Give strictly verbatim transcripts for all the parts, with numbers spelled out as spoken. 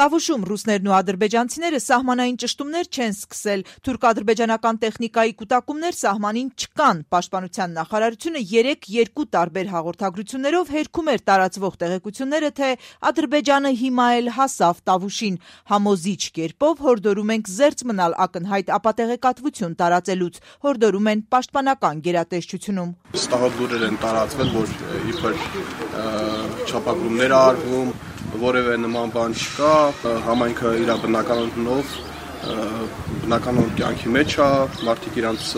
Տավուշում ռուսներն ու ադրբեջանցիները սահմանային ճշտումներ չեն սկսել, թուրք-ադրբեջանական տեխնիկայի կուտակումներ սահմանին չկան, պաշտպանության նախարարությունը երեկ երկու տարբեր հաղորդագրություններով հերքում էր տարածվող տեղեկությունները, թե Ադրբեջանը հիմա էլ հասավ Տավուշին, համոզիչ կերպով հորդորում ենք զերծ մնալ ակնհայտ ապատեղեկատվություն տարածելուց, հորդորում են պաշտպանական գերատեսչությունում։ Ստահոդ լուրեր են տարածվել, որ իբր չափագրումներ արվում, որևէ նման բան չկա, համայնքը իր բնականոնով, բնականոն կյանքի մեջ է, մարդիկ իրանց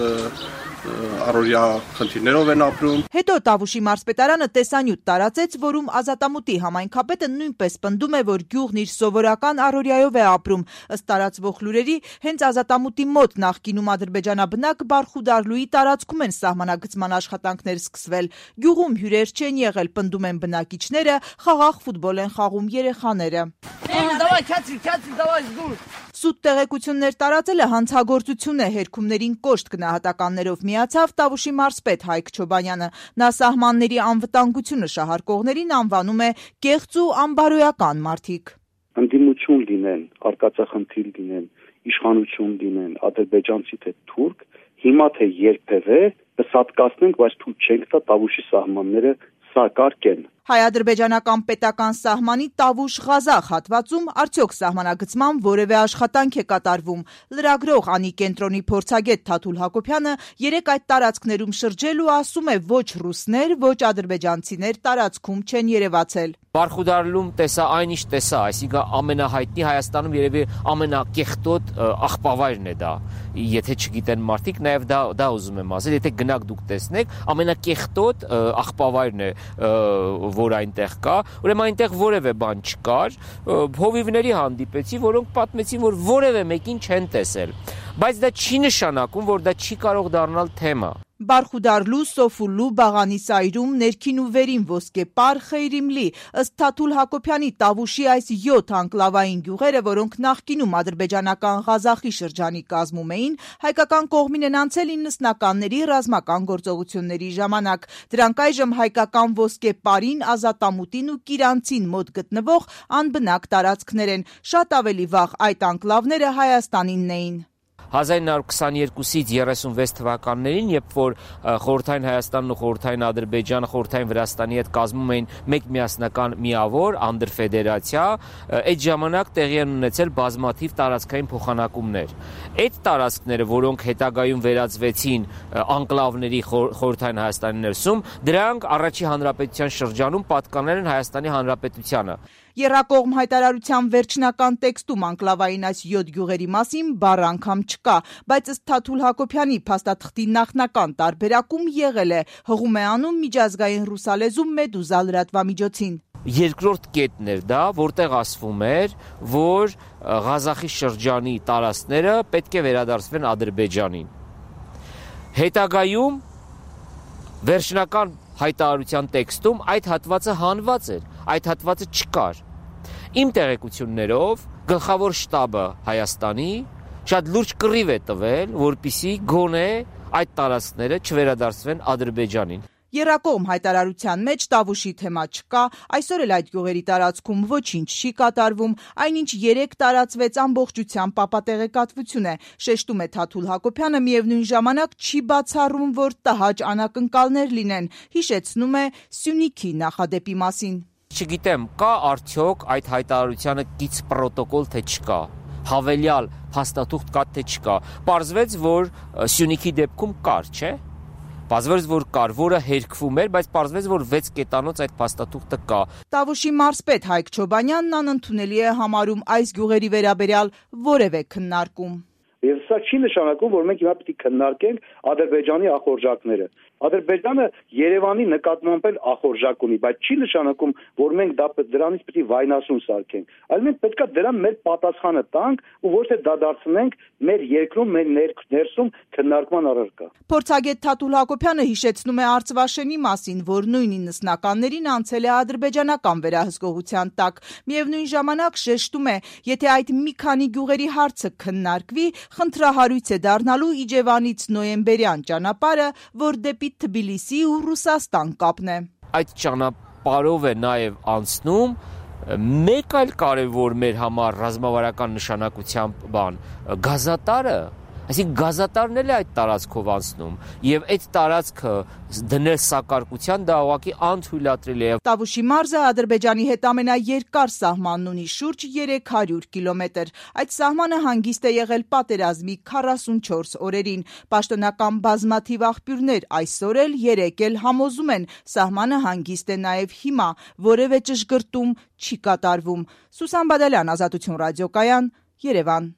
առօրյա խնդիրներով են ապրում։ Հետո Տավուշի մարզպետարանը տեսանյութ տարածեց, որում Ազատամուտի համայնքապետը նույնպես պնդում է, որ գյուղն իր սովորական առօրյայով է ապրում։ Ըստ տարածվող լուրերի, հենց Ազատամուտի մոտ նախկինում ադրբեջանաբնակ Բարխուդարլուի տարածքում են սահմանագծման աշխատանքներ սկսվել։ Գյուղում հյուրեր չեն եղել, պնդում են բնակիչները, խաղաղ ֆուտբոլ են խաղում երեխաները։ Սուտ տեղեկություններ տարածելը հանցագործություն է, հերքումներին կոշտ գնահատականներով միացավ Տավուշի մարզպետ Հայկ Չոբանյանը։ Նա սահմանների անվտանգությունը շահարկողներին անվանում է կեղծ ու անբարոյական մարդիկ։ Ընդդիմություն լինեն, արկածախնդիր լինեն, իշխանություն լինեն, ադրբեջանցի թե թուրք, հիմա թե երբևէ կսատկացնենք, բայց թույլ չենք տա Տավուշի սահմանները սակարկեն։ Հայ-ադրբեջանական պետական սահմանի Տավուշ-Ղազախ հատվածում արդյոք սահմանագծման որևէ աշխատանք է կատարվում։ Լրագրող Անի կենտրոնի փորձագետ Թաթուլ Հակոբյանը երեկ այդ տարածքներում շրջել ու ասում է, ոչ ռուսներ, ոչ ադրբեջանցիներ տարածքում չեն երևացել։ Բարխուդարլում տեսա այն ինչ տեսա, այսինքն ամենահայտնի Հայաստանում երևի ամենակեղտոտ աղբավայրն է դա։ Եթե չգիտեն մարդիկ, նաև դա դա ուզում եմ ասել, եթե գնաք դուք տեսնեք, ամենակեղտոտ աղբավայրն է, որ այնտեղ կա, ուրեմն այնտեղ որևէ բան չկար, հովիվների հանդիպեցի, որոնք պատմեցին, որ որևէ մեկին չեն տեսել, բայց դա չի նշանակում, որ դա չի կարող դառնալ թեմա։ Բարխուդարլու, Սոֆուլու, Բաղանիսայրում, ներքին ու վերին Ոսկեպար, Խեյրիմլի, ըստ Թաթուլ Հակոբյանի Տավուշի այս յոթ անկլավային գյուղերը, որոնք նախկինում ադրբեջանական Ղազախի շրջանի կազմում էին, հայկական կողմին են անցել իննսնականների ռազմական գործողությունների ժամանակ։ Դրանք այժմ հայկական Ոսկեպարին, Ազատամուտին ու Կիրանցին մոտ գտնվող անբնակ տարածքներ են։ Շատ ավելի վաղ այդ անկլավները Հայաստանինն էին։ հազար նույն հարյուր քսաներկուսից երեսունվեց թվականներին, երբ որ խորհրդային Հայաստանն ու խորհրդային Ադրբեջանը խորհրդային Վրաստանի հետ կազմում էին մեկ միասնական միավոր անդրֆեդերացիա, այդ ժամանակ տեղի են ունեցել բազմաթիվ տարածքային փոխանակումներ։ Այդ տարածքները, որոնք հետագայում վերածվեցին անկլավների խորհրդային Հայաստանի ներսում, դրանք առաջի հանրապետության շրջանում պատկանել են Հայաստանի Հանրապետությանը։ Եռակողմ հայտարարության վերջնական տեքստում անկլավային այս յոթ գյուղերի մասին բառ անգամ չկա, բայց ըստ Թաթուլ Հակոբյանի փաստաթղթի նախնական տարբերակում եղել է, հղում է անում միջազգային ռուսալեզու Մեդուզա լրատվամիջոցին։ Երկրորդ կետն էր դա, որտեղ ասվում էր, որ Ղազախի շրջանի տարածքները պետք է վերադարձվեն Ադրբեջանին։ Հետագայում վերջնական հայտարարության տեքստում այդ հատվածը հանված էր, այդ հատվածը չկար։ Իմ տեղեկություններով գլխավոր շտաբը Հայաստանի շատ լուրջ կռիվ է տվել, որպեսզի գոնե այդ տարածքները չվերադարձվեն Ադրբեջանին։ Եռակողմ հայտարարության մեջ Տավուշի թեմա չկա, այսօր էլ այդ գյուղերի տարածքում ոչինչ չի կատարվում, այնինչ երեկ տարածվեց ամբողջությամբ ապատեղեկատվություն է, շեշտում է Թաթուլ Հակոբյանը, միևնույն ժամանակ չի բացառում, որ տհաճ անակնկալներ լինեն, հիշեցնում է Սյունիքի նախադեպի մասին։ Չգիտեմ, կա արդյոք այդ հայտարարությանը կից պրոտոկոլ, թե չկա, հավելյալ փաստաթուղթ կա, թե չկա։ Պարզվեց, որ Սյունիքի դեպքում կար, չէ՞։ Պարզվեց, որ կար, որը հերքվում էր, բայց պարզվեց, որ վեց կետանոց այդ փաստաթուղթը կա։ Տավուշի մարզպետ Հայկ Չոբանյանն անընդունելի է համարում այս գյուղերի վերաբերյալ որևէ քննարկում։ Եվ սա չի նշանակում, որ մենք հիմա պետք է քննարկենք Ադրբեջանի ախորժակները։ Ադրբեջանը Երևանի նկատմամբ էլ ախորժակ ունի, բայց չի նշանակում, որ մենք դա դրանից պետք է վայնասուն սարքենք, այլ մենք պետք է դրան մեր պատասխանը տանք ու ոչ թե դադարեցնենք մեր երկրում, մեր ներսում քննարկման առարկա։ Փորձագետ Թաթուլ Հակոբյանը հիշեցնում է Արծվաշենի մասին, որ նույն իննսնականներին անցել է ադրբեջանական վերահսկողության տակ։ Միևնույն ժամանակ շեշտում է, եթե այդ մի քանի գյուղերի հարցը քննարկվի, խնդրահարույց է դառնալու Իջևանից նոյեմբերյան ճանապարհը, որ դեպի Թբիլիսի ու Ռուսաստան կապն է։ Այդ ճանապարհով է նաև անցնում Մեկ այլ կարևոր մեր համար ռազմավարական նշանակությամբ բան գազատարը, այսինքն գազատարն էլ է այդ տարածքով անցնում եւ այդ տարածքը դնել սակարկության դա ուղղակի անթույլատրելի է։ Տավուշի մարզը Ադրբեջանի հետ ամենաերկար սահմանն ունի, շուրջ երեք հարյուր կիլոմետր։ Այդ սահմանը հանգիստ է եղել պատերազմի քառասունչորս օրերին։ Պաշտոնական բազմաթիվ աղբյուրներ այսօր էլ երեկ էլ համոզում են սահմանը հանգիստ է նաեւ հիմա, որևէ ճշգրտում չի կատարվում։ Սուսան Բադալյան, Ազատություն ռադիոկայան, Երևան։